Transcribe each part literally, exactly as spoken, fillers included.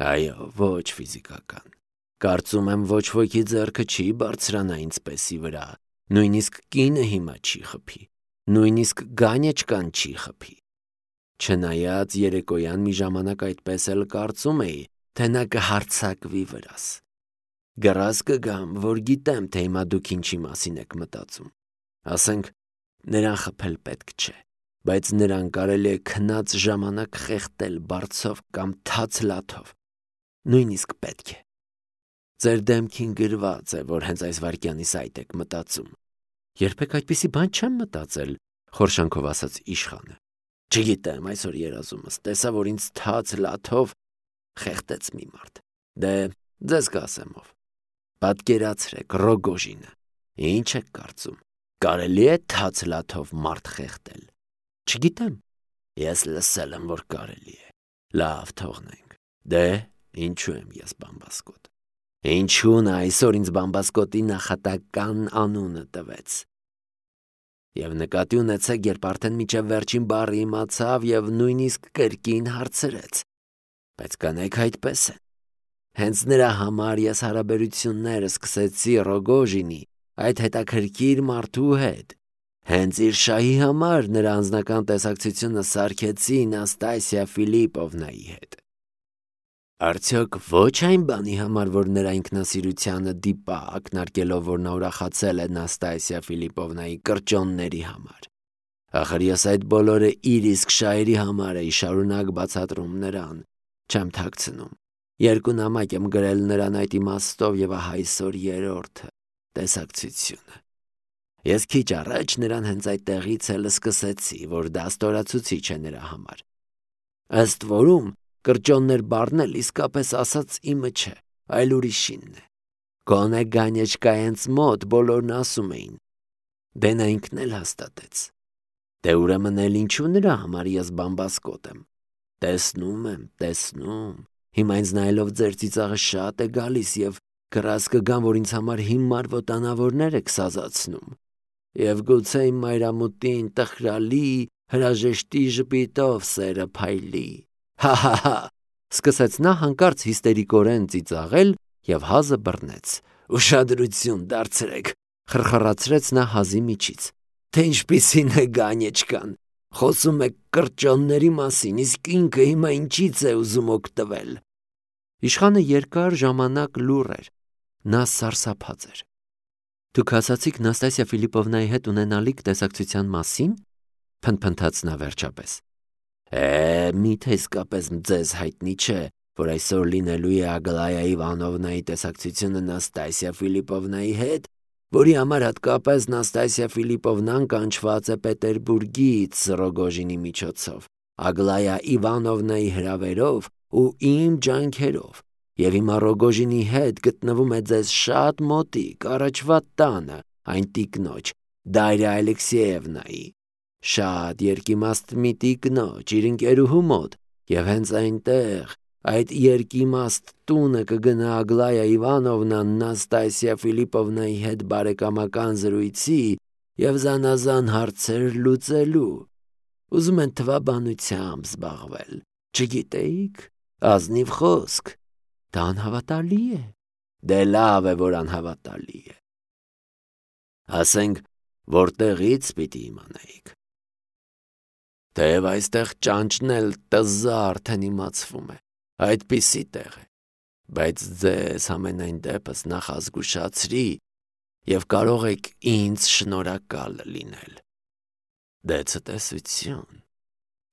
Այո, ոչ ֆիզիկական։ Կարծում եմ ոչ ոքի ձեռքը չի բարձրանա ինձպեսի վրա, նույնիսկ կինը հիմա չի խփի, նույնիսկ գանյեչկան չի խփի։ Չնայած երեկոյան մի ժամանակ այդպես էլ կարծում էի, թե նա կհարձակվի վրաս։ Գրազ կգամ, որ գիտեմ, թե հիմա դուք ինչի մասին եք մտածում։ Ասենք, նրան խփել պետք չէ, բայց նրան կարելի է քնած ժամանակ խեղդել բարձով կամ թաց լաթով։ Նույնիսկ պետք է։ Ձեր դեմքին գրված է, որ հենց այս վայրկյանից այդ եք մտածում։ Երբեք այդպիսի բան չեմ մտածել, խորշանքով ասաց իշխանը։ Չգիտեմ, այսօր երազումս տեսա, որ ինձ թաց լաթով խեղդեց մի մարդ։ Դե, ձեզ կասեմ ով։ Պատկերացրեք Ռոգոժինը։ Ինչ եք կարծում։ Կարելի է թաց լաթով մարդ խեղդել։ Չգիտեմ։ Ես լսել եմ, որ կարելի է։ Լավ, թողնենք։ Դե, ինչու եմ ես բամբասկոտ։ Ինչու նա այսօր ինձ բամբասկոտի նախատական անունը տվեց։ Եվ նկատի ունեցեք, երբ արդեն միջև վերջին բառը իմացավ եւ նույնիսկ կրկին հարցրեց։ Բայց կանայք այդպես են։ Հենց նրա համար ես հարաբերությունները սկսեցի Ռոգոժինի, այդ հետաքրքիր մարդու հետ։ Հենց իր շահի համար նրա անձնական տեսակցությունը սարքեցի Նաստասիա Ֆիլիպովնայի հետ։ Արդյոք ոչ այն բանի համար, որ նրա ինքնասիրությանը դիպա, ակնարկելով, որ նա ուրախացել է Նաստասիա Ֆիլիպովնայի կրճոնների համար։ Ախր ես այդ բոլորը իր իսկ շահերի համար էի շարունակ բացատրում նրան, չեմ թաքցնում։ Երկու նամակ եմ գրել նրան այդ իմաստով եւ ահա այսօր երրորդը, տեսակցությունը։ Ես քիչ առաջ նրան հենց այդտեղից էլ սկսեցի, որ դա ստորացուցիչ է նրա համար։ Ըստ որում, կրճոններ բառն էլ իսկապես ասած իմը չէ, այլ ուրիշինն է։ Գոնե գանյեչկայենց մոտ բոլորն ասում էին։ Դե նա ինքն էլ հաստատեց։ Դե ուրեմն էլ ինչու նրա համար ես բամբասկոտ եմ։ Տեսնում եմ, տեսնում։ Հիմա ինձ նայելով ձեր ծիծաղը շատ է գալիս եւ գրազ կգամ, որ ինձ համար հիմար վտանավորներ եք սազացնում։ Եվ գուցե իմ մայրամուտին տխրալի հրաժեշտի ժպիտով սերը փայլի։ Հա-հա-հա, սկսեց նա հանկարծ հիստերիկորեն ծիծաղել եւ հազը բռնեց։ Ուշադրություն դարձրեք, խրխրացրեց նա հազի միջից։ Թե ինչպիսին է գանյեչկան։ Խոսում եք կրճոնների մասին, իսկ ինքը հիմա ինչից է ուզում օգտվել։ Իշխանը երկար ժամանակ լուռ էր։ Նա սարսափած էր։ Դուք ասացիք Նաստասիա Ֆիլիպովնայի հետ ունենալիք տեսակցության մասին, փնփնթաց նա վերջապես։ Է, միթե իսկապես ձեզ հայտնի չէ, որ այսօր լինելու է Ագլայա Իվանովնայի տեսակցությունը Նաստասիա Ֆիլիպովնայի հետ, որի համար հատկապես Նաստասիա Ֆիլիպովնան կանչված է Պետերբուրգից Ռոգոժինի միջոցով, Ագլայա Իվանովնայի հրավերով ու իմ ջանքերով, եւ հիմա Ռոգոժինի հետ գտնվում է ձեզ շատ մոտիկ առաջվա տանը, այն տիկնոջ Դարիա Ալեքսեևնայի, շատ երկիմաստ մի տիկնոջ իր ընկերուհու մոտ, եւ հենց այնտեղ այդ երկիմաստ տունը կգնա Ագլայա Իվանովնան Նաստասիա Ֆիլիպովնայի հետ բարեկամական զրույցի եւ զանազան հարցեր լուծելու։ Ուզում են թվաբանությամբ զբաղվել, չգիտեիք, ազնիվ խոսք, դա անհավատալի է, դե լավ է, որ անհավատալի է։ Ասենք, որտեղից պիտի իմանայիք։ Թեև այստեղ ճանճն էլ տզա արդեն իմացվում է, այդպիսի տեղ է, բայց ձեզ ամենայն դեպս նախազգուշացրի եւ կարող եք ինձ շնորհակալ լինել։ Դե ցտեսություն,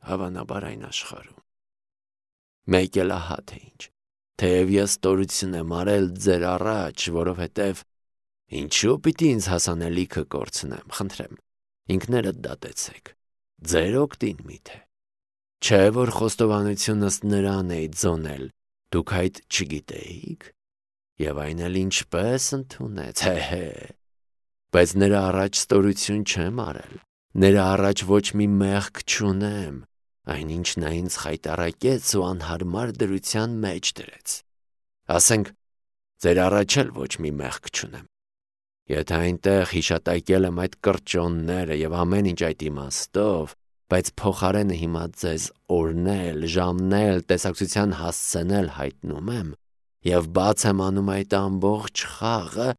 հավանաբար այն աշխարհում։ Մեկ էլ ահա թե ինչ, թեև ես ստորություն եմ արել ձեր առաջ, որովհետև ինչու պիտի ինձ հասանելիքը կորցնեմ, խնդրեմ, ինքներդ դատեցեք, ձեր օգտին միթե։ Չէ, որ խոստովանությունս նրան էի ձոնել, դուք այդ չգիտեիք, եւ այն էլ ինչպես ընդունեց, հե-հե, բայց նրա առաջ ստորություն չեմ արել, նրա առաջ ոչ մի մեղք չունեմ, այնինչ նա ինձ խայտառակեց ու անհարմար դրության մեջ դրեց։ Ասենք, ձեր առաջ էլ ոչ մի մեղք չունեմ։ Եթե այնտեղ հիշատակել եմ այդ կրճոնները եւ ամեն ինչ այդ իմաստով, բայց փոխարենը հիմա ձեզ օրներ, ժամներ, տեսակցության հասցնել հայտնում եմ եւ բաց եմ անում այդ ամբողջ խաղը,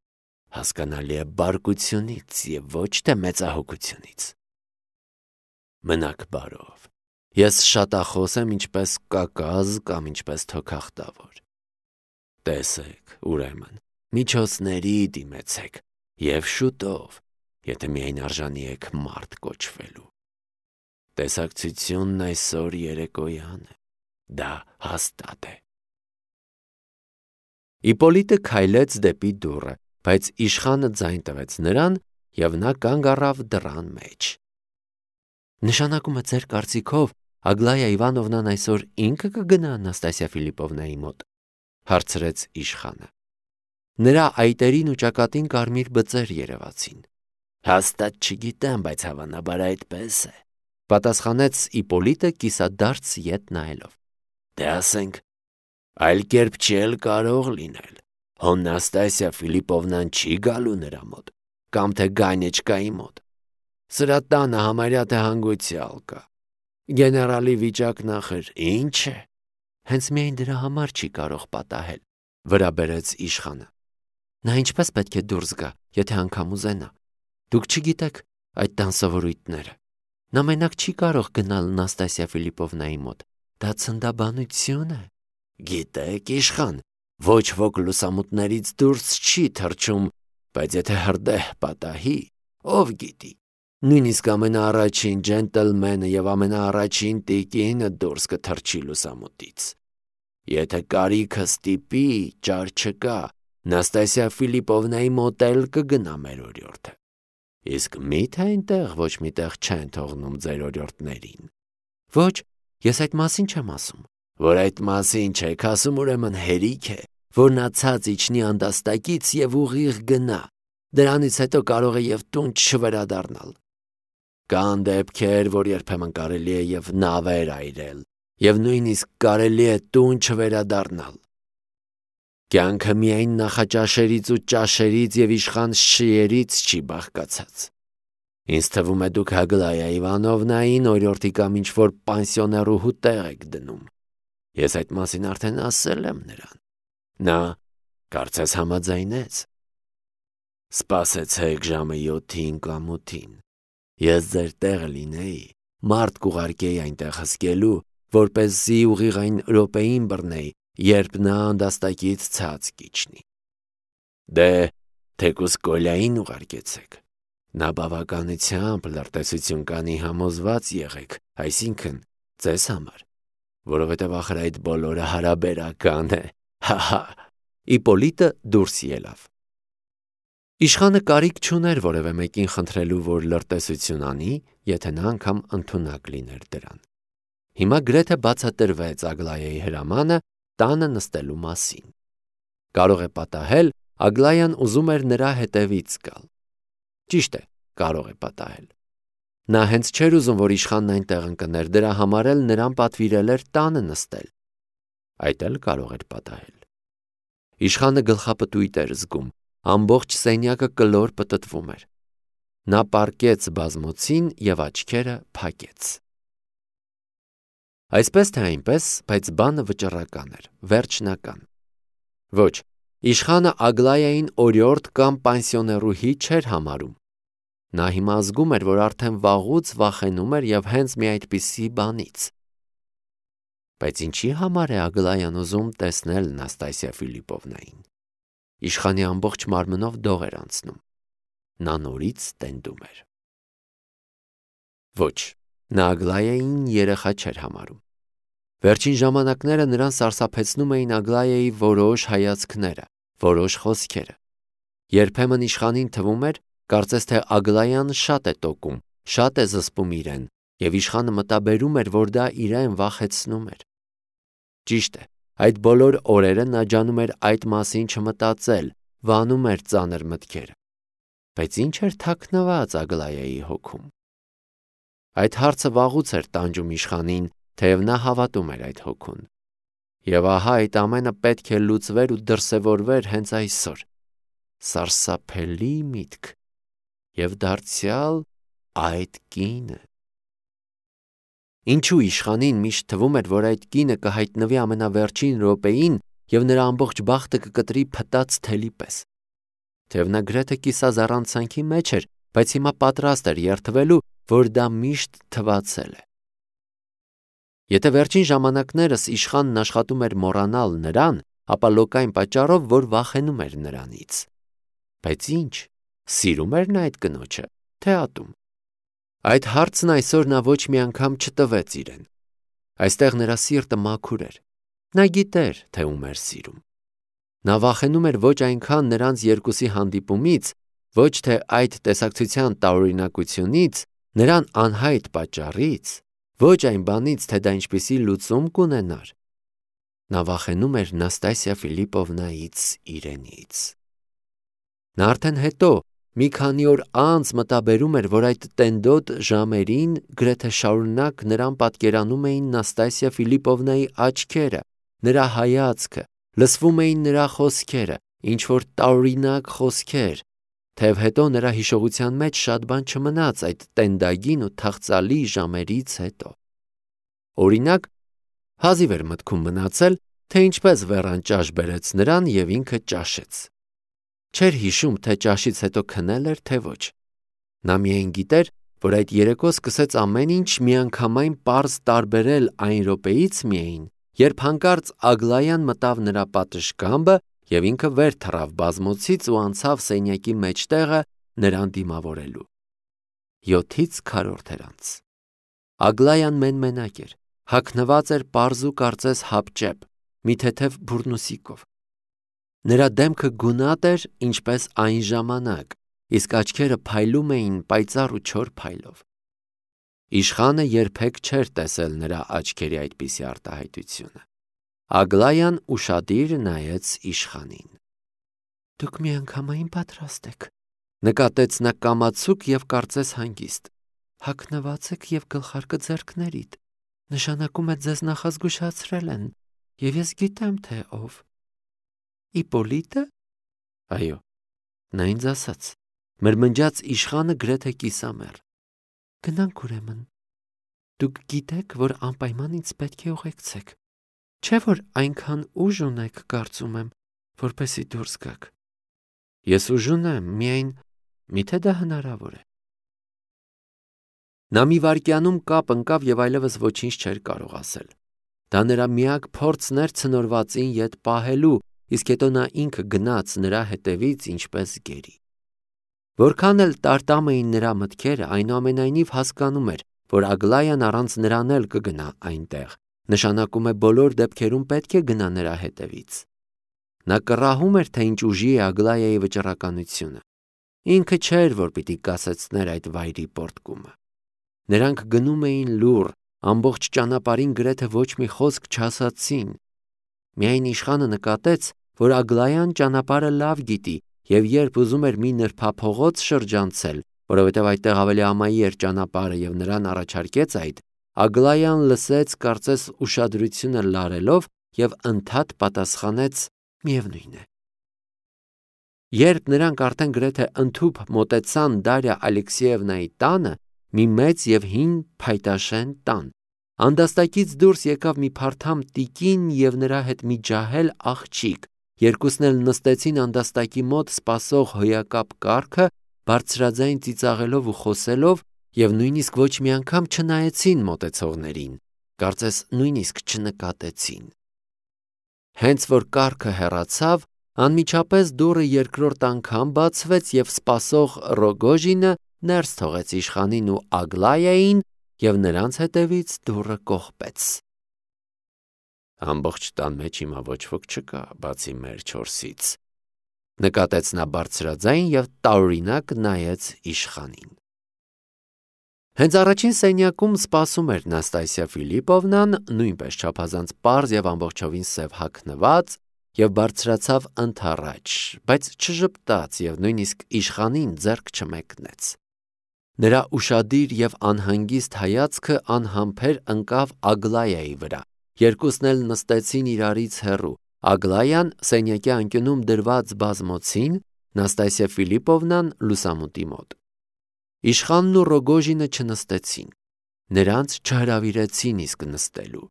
հասկանալի է բարկությունից եւ ոչ թե մեծահոգությունից։ Մնաք բարով։ Ես շատախոս եմ ինչպես կակազ կամ ինչպես թոքախտավոր։ Տեսեք, ուրեմն, միջոցների դիմեցեք եւ շուտով, եթե միայն արժանի եք մարդ կոչվելու։ Տեսակցությունն այսօր երեկոյան է, դա հաստատ է։ Իպոլիտը քայլեց դեպի դուռը, բայց իշխանը ձայն տվեց նրան եւ նա կանգ առավ դռան մեջ։ Նշանակում է ձեր կարծիքով Ագլայա Իվանովնան այսօր ինքը կգնա Անաստասիա Ֆիլիպովնայի մոտ, հարցրեց իշխանը։ Նրա այտերին ու ճակատին կարմիր բծեր երևացին։ Հաստատ չգիտեմ, բայց հավանաբար այդպես է, պատասխանեց Իպոլիտը կիսադարձ ետ նայելով։ Դե ասենք, այլ կերպ չի էլ կարող լինել։ Հոն Նաստասիա Ֆիլիպովնան չի գալու նրա մոտ, կամ թե Գանեչկայի մոտ։ Սրա տանը համարյա թե հանգուցյալ կա։ Գեներալի վիճակն ախր ինչ է։ Հենց միայն դրա համար չի կարող պատահել, վրա բերեց իշխանը։ Նա ինչպես պետք է դուրս գա, եթե անգամ ուզենա։ Դուք չգիտեք այդ տան սովորույթները։ Նա մենակ չի կարող գնալ Նաստասիա Ֆիլիպովնայի մոտ։ Դա ցնդաբանություն է։ Գիտեք, իշխան, ոչ ոք լուսամուտներից դուրս չի թռչում, բայց եթե հրդեհ պատահի, ով գիտի։ Նույնիսկ ամենաառաջին ջենտլմենը եւ ամենաառաջին տիկինը դուրս կթռչի լուսամուտից։ Եթե կարիքը ստիպի, ճար չկա, Նաստասիա Ֆիլիպովնայի մոտ էլ կգնա մեր օրիորդը։ Իսկ մի՞թե այնտեղ ոչ միտեղ չեն թողնում ձեր օրիորդներին։ Ոչ, ես այդ մասին չեմ ասում։ Որ այդ մասին չեք ասում, ուրեմն հերիք է, որ նա ցած իջնի անդաստակից եւ ուղիղ գնա։ Դրանից հետո կարող է եւ տուն չվերադառնալ։ Կան դեպքեր, որ երբեմն կարելի է եւ նավեր այրել, եւ նույնիսկ կարելի է տուն չվերադառնալ։ Կյանքը միայն նախաճաշերից ու ճաշերից եւ իշխան շիերից չի բաղկացած։ Ինձ թվում է դուք Ագլայա Իվանովնային օրիորդի կամ ինչ-որ պանսիոներուհու տեղ եք դնում։ Ես այդ մասին արդեն ասել եմ նրան։ Նա կարծես համաձայնեց։ Սպասեցեք ժամը յոթին կամ ութին։ Ես ձեր տեղը լինեի, մարդ կուղարկեի այնտեղ հսկելու, որպեսզի ուղիղ այն րոպեին բռնեի, երբ նա անդաստակից ցած կիջնի։ Դե, թեկուզ Կոլյային ուղարկեցեք։ Նա բավականությամբ լրտեսություն կանի համոզված եղեք, այսինքն ձեզ համար, որովհետև ախր այդ բոլորը հարաբերական է, հա-հա։ Իպոլիտը դուրս ելավ։ Իշխանը կարիք չուներ որևէ մեկին խնդրելու, որ լրտեսություն անի, եթե նա անգամ ընդունակ լիներ դրան։ Հիմա գրեթե բացատրվեց Ագլայայի հրամանը տանը նստելու մասին։ Կարող է պատահել, Ագլայան ուզում էր նրա հետևից գալ։ Ճիշտ է, կարող է պատահել։ Նա հենց չէր ուզում, որ իշխանն այնտեղ ընկներ, դրա համար էլ նրան պատվիրել էր տանը նստել։ Այդ էլ կարող էր պատահել։ Իշխանը գլխապտույտ էր զգում, ամբողջ սենյակը կլոր պտտվում էր։ Նա պառկեց բազմոցին եւ աչքերը փակեց։ Այսպես թե այնպես, բայց բանը վճռական էր, վերջնական։ Ոչ, իշխանը Ագլայային օրիորդ կամ պանսիոներուհի չէր համարում։ Նա հիմա զգում էր, որ արդեն վաղուց վախենում էր եւ հենց մի այդպիսի բանից։ Բայց ինչի համար է Ագլայան ուզում տեսնել Նաստասիա Ֆիլիպովնային։ Իշխանի ամբողջ մարմնով դող էր անցնում։ Նա նորից տենդում էր։ Ոչ, նա Ագլայային երեխա չէր համարում։ Վերջին ժամանակները նրան սարսափեցնում էին Ագլայայի որոշ հայացքները, որոշ խոսքերը։ Երբեմն իշխանին թվում էր, կարծես թե Ագլայան շատ է տոկում, շատ է զսպում իրեն, եւ իշխանը մտաբերում էր, որ դա իրեն վախեցնում էր։ Ճիշտ է, այդ բոլոր օրերը նա ջանում էր այդ մասին չմտածել, վանում էր ծանր մտքերը։ Բայց ինչ էր թաքնված Ագլայայի հոգում։ Այդ հարցը վաղուց էր տանջում իշխանին, թեև նա հավատում էր այդ հոգուն։ Եվ ահա այդ ամենը պետք է լուծվեր ու դրսևորվեր հենց այսօր։ Սարսափելի միտք։ Եվ դարձյալ այդ կինը։ Ինչու իշխանին միշտ թվում էր, որ այդ կինը կհայտնվի ամենավերջին րոպեին և նրա ամբողջ բախտը կկտրի փտած թելի պես։ Թեև նա գրեթե կիսազառանցանքի մեջ էր, բայց հիմա պատրաստ էր երդվելու, որ դա միշտ թվացել է։ Եթե վերջին ժամանակներս իշխանն աշխատում էր մոռանալ նրան, ապա լոկային պատճառով, որ վախենում էր նրանից։ Բայց ինչ, սիրում էր նա այդ կնոջը, թե ատում։ Այդ հարցն այսօր նա ոչ մի անգամ չտվեց իրեն։ Այստեղ նրա սիրտը մաքուր էր։ Նա գիտեր, թե ում էր սիրում։ Նա վախենում էր ոչ այնքան նրանց երկուսի հանդիպումից, ոչ թե այդ տեսակցության տարօրինակությունից, նրան անհայտ պատճառից, ոչ այն բանից, թե դա ինչպիսի լուծում կունենար։ Նա վախենում էր Նաստասիա Ֆիլիպովնայից իրենից։ Նա արդեն հետո մի քանի օր անց մտաբերում էր, որ այդ տենդոտ ժամերին գրեթե շարունակ նրան պատկերանում էին Նաստասիա Ֆիլիպովնայի աչքերը, նրա հայացքը, լսվում էին նրա խոսքերը, ինչ-որ տարօրինակ խոսքեր, թեև հետո նրա հիշողության մեջ շատ բան չմնաց այդ տենդագին ու թախծալի ժամերից հետո։ Օրինակ, հազիվ էր մտքում մնացել, թե ինչպես վերան ճաշ բերեց նրան և ինքը ճաշեց։ Չէր հիշում, թե ճաշից հետո քնել էր, թե ոչ։ Նա միայն գիտեր, որ այդ երեկո սկսեց ամեն ինչ միանգամայն պարզ տարբերել այն րոպեից միայն, երբ հանկարծ Ագլայան մտավ նրա պատշգամբը և ինքը վեր թռավ բազմոցից ու անցավ սենյակի մեջտեղը նրան դիմավորելու։ Յոթից քառորդ էր անց։ Ագլայան մեն-մենակ էր, հագնված էր պարզ ու կարծես հապճեպ, մի թեթև բուրնուսիկով։ Նրա դեմքը գունատ էր, ինչպես այն ժամանակ, իսկ աչքերը փայլում էին պայծառ ու չոր փայլով։ Իշխանը երբեք չէր տեսել նրա աչքերի այդպիսի արտահայտությունը։ Ագլայան ուշադիր նայեց իշխանին։ «Դուք միանգամայն պատրաստ եք», նկատեց նա կամացուկ և կարծես հանգիստ։ «Հագնված եք և գլխարկը ձեռքներիդ, նշանակում է ձեզ նախազգուշացրել են, և ես գիտեմ, թե ով։ Իպոլիտը»։ Այո, նա ինձ ասաց, մրմնջաց իշխանը գրեթե կիսամեռ։ «Գնանք ուրեմն։ Դուք գիտեք, որ անպայման ինձ պետք է ուղեկցեք, չէ՞ որ այնքան ուժ ունեք, կարծում եմ, որպեսզի դուրս գաք»։ «Ես ուժ ունեմ, միայն միթե դա հնարավոր է»։ Նա մի վայրկյանում կապ ընկավ և այլևս ոչինչ չէր կարող ասել։ Դա նրա միակ փորձն էր ցնորվածին ետ պահելու, իսկ հետո նա ինքը գնաց նրա հետևից ինչպես գերի։ Որքան էլ տարտամ էին նրա մտքերը, այնուամենայնիվ հասկանում էր, որ Ագլայան առանց նրան էլ կգնա այնտեղ, նշանակում է բոլոր դեպքերում պետք է գնա նրա հետևից։ Նա կռահում էր, թե ինչ ուժի է Ագլայայի վճռականությունը։ Ինքը չէր, որ պիտի կասեցներ այդ վայրի պոռթկումը։ Նրանք գնում էին լուռ, ամբողջ ճանապարհին գրեթե ոչ մի խոսք չասացին։ Միայն իշխանը նկատեց, որ Ագլայան ճանապարհը լավ գիտի, և երբ ուզում էր մի նրբափողոց շրջանցել, որովհետև այդտեղ ավելի ամայի էր ճանապարհը և նրան առաջարկեց այդ, Ագլայան լսեց, կարծես ուշադրությունը լարելով, և ընդհատ պատասխանեց. «Միևնույն է»։ Երբ նրանք արդեն գրեթե ընդհուպ մոտեցան Դարիա Ալեքսեևնայի տանը, մի մեծ և հին փայտաշեն տան, անդաստակից դուրս եկավ մի փարթամ տիկին և նրա հետ մի ջահել աղջիկ, երկուսն էլ նստեցին անդաստակի մոտ սպասող հոյակապ կառքը, բարձրաձայն ծիծաղելով ու խոսելով, և նույնիսկ ոչ մի անգամ չնայեցին մոտեցողներին, կարծես նույնիսկ չնկատեցին։ Հենց որ կառքը հեռացավ, անմիջապես դուռը երկրորդ անգամ բացվեց և սպասող Ռոգոժինը ներս թողեց իշխանին ու Ագլայային և նրանց հետևից դուռը կողպեց։ «Ամբողջ տան մեջ հիմա ոչ ոք չկա, բացի մեր չորսից», նկատեց նա բարձրաձայն և տարօրինակ նայեց իշխանին։ Հենց առաջին սենյակում սպասում էր Նաստասիա Ֆիլիպովնան, նույնպես չափազանց պարզ և ամբողջովին սև հագնված, և բարձրացավ ընդառաջ, բայց չժպտաց և նույնիսկ իշխանին ձեռք չմեկնեց։ Նրա ուշադիր և անհանգիստ հայացքը անհամբեր ընկավ Ագլայայի վրա։ Երկուսն էլ նստեցին իրարից հեռու, Ագլայան սենյակի անկյունում դրված բազմոցին, Նաստասիա Ֆիլիպովնան լուսամուտի մոտ։ Իշխանն ու Ռոգոժինը չնստեցին։ նրանց չհրավիրեցին իսկ նստելու։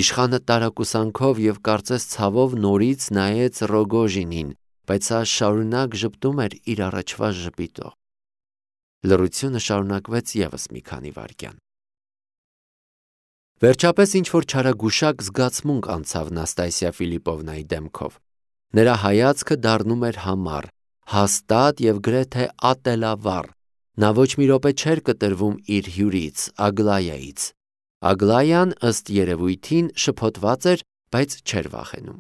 Իշխանը տարակուսանքով և կարծես ցավով նորից նայեց Ռոգոժինին, բայց նա շարունակ ժպտում էր իր առաջվա ժպիտով։ Լռությունը շարունակվեց ևս մի քանի վայրկյան։ Վերջապես ինչ-որ չարագուշակ զգացմունք անցավ Նաստասիա Ֆիլիպովնայի դեմքով։ Նրա հայացքը դառնում էր համառ, հաստատ և գրեթե ատելավառ։ Նա ոչ մի րոպե չէր կտրվում իր հյուրից, Ագլայայից։ Ագլայան, ըստ երևույթին, շփոթված էր, բայց չէր վախենում։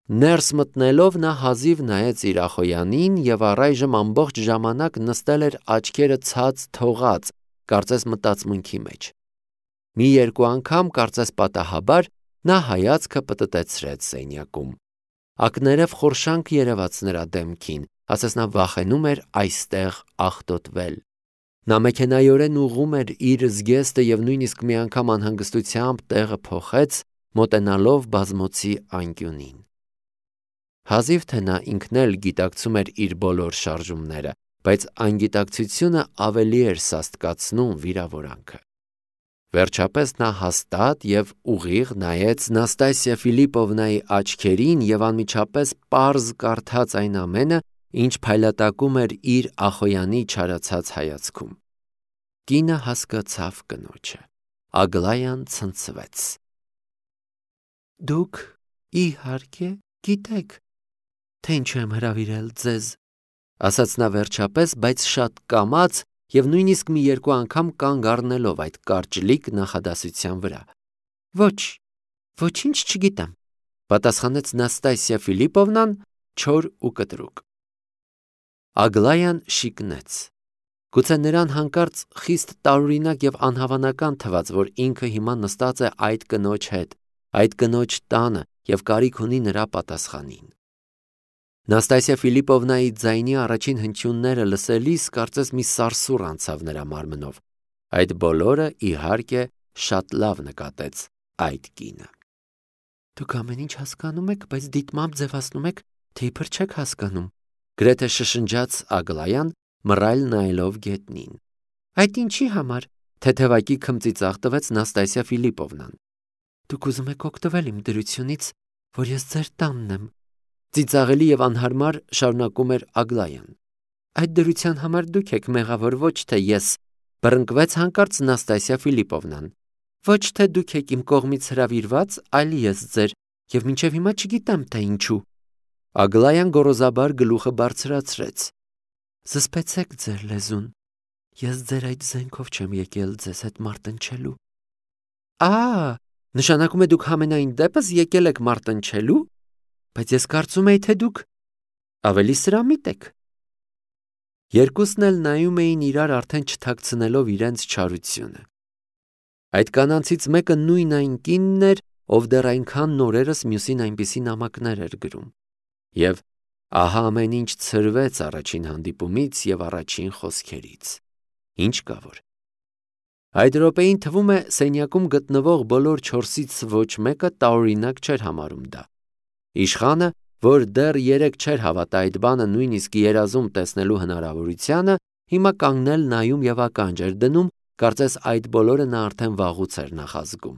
Ներս մտնելով նա հազիվ նայեց իր ախոյանին և առայժմ ամբողջ ժամանակ նստել էր աչքերը ցած թողած, կարծես մտածմունքի մեջ։ Մի երկու անգամ, կարծես պատահաբար, նա հայացքը պտտեցրեց սենյակում։ Ակներև խորշանք երևաց նրա դեմքին, ասես նա վախենում էր այստեղ աղտոտվել։ Նա մեքենայորեն ուղղում էր իր զգեստը և նույնիսկ մի անգամ անհանգստությամբ տեղը փոխեց, մոտենալով բազմոցի անկյունին։ Հազիվ թե նա ինքն էլ գիտակցում էր իր բոլոր շարժումները, բայց անգիտակցությունը ավելի էր սաստկացնում վիրավորանքը։ Վերջապես նա հաստատ և ուղիղ նայեց Նաստասիա Ֆիլիպովնայի աչքերին և անմիջապես պարզ կարդաց այն ամենը, ինչ փայլատակում էր իր ախոյանի չարացած հայացքում։ Կինը հասկացավ կնոջը։ Ագլայան ցնցվեց։ Դուք իհարկե գիտեք, թե ինչու եմ հրավիրել ձեզ, ասաց նա վերջապես, բայց շատ կամաց և նույնիսկ մի երկու անգամ կանգ առնելով այդ կարճլիկ նախադասության վրա։ Ոչ, ոչինչ չգիտեմ, պատասխանեց Նաստասիա Ֆիլիպովնան չոր ու կտրուկ։ Ագլայան շիկնեց։ Գուցե նրան հանկարծ խիստ տարօրինակ և անհավանական թվաց, որ ինքը հիմա նստած է այդ կնոջ հետ, այդ կնոջ տանը և կարիք ունի նրա պատասխանին։ Նաստասիա Ֆիլիպովնայի ձայնի առաջին հնչյունները լսելիս կարծես մի սարսուռ անցավ նրա մարմնով։ Այդ բոլորը, իհարկե, շատ լավ նկատեց այդ կինը։ Դուք ամեն ինչ հասկանում եք, բայց դիտմամբ ձևացնում եք, թե իբր չեք հասկանում, գրեթե շշնջաց Ագլայան, մռայլ նայելով գետնին։ Այդ ինչի համար, թեթևակի քմծիծաղ տվեց Նաստասիա Ֆիլիպովնան։ Դուք ուզում եք օգտվել իմ դրությունից, որ ես ձեր տանն եմ, ծիծաղելի և անհարմար շարունակում էր Ագլայան։ Այդ դրության համար դուք եք մեղավոր, ոչ թե ես, բռնկվեց հանկարծ Նաստասիա Ֆիլիպովնան։ Ոչ թե դուք եք իմ կողմից հրավիրված, այլ ես ձեր, և մինչև հիմա չգիտեմ, թե ինչու։ Ագլայան գոռոզաբար գլուխը բարձրացրեց։ Զսպեցեք ձեր լեզուն։ Ես ձեր այդ զենքով չեմ եկել ձեզ հետ մարտնչելու։ Ա, նշանակում է դուք համենայն դեպս եկել եք մարտնչելու, բայց ես կարծում էի, թե դուք ավելի սրամիտ եք։ Երկուսն էլ նայում էին իրար արդեն չթաքցնելով իրենց չարությունը։ Այդ կանանցից մեկը նույն այն կինն էր, ով դեռ այնքան նորերս մյուսին այնպիսի նամակներ էր գրում։ Եվ ահա ամեն ինչ ցրվեց առաջին հանդիպումից և առաջին խոսքերից։ Ինչ կա որ։ Այդ րոպեին թվում է սենյակում գտնվող բոլոր չորսից ոչ մեկը տարօրինակ չէր համարում դա։ Իշխանը, որ դեռ երեկ չէր հավատա այդ բանը նույնիսկ երազում տեսնելու հնարավորությանը, հիմա կանգնել նայում և ականջ էր դնում, կարծես այդ բոլորը նա արդեն վաղուց էր նախազգում։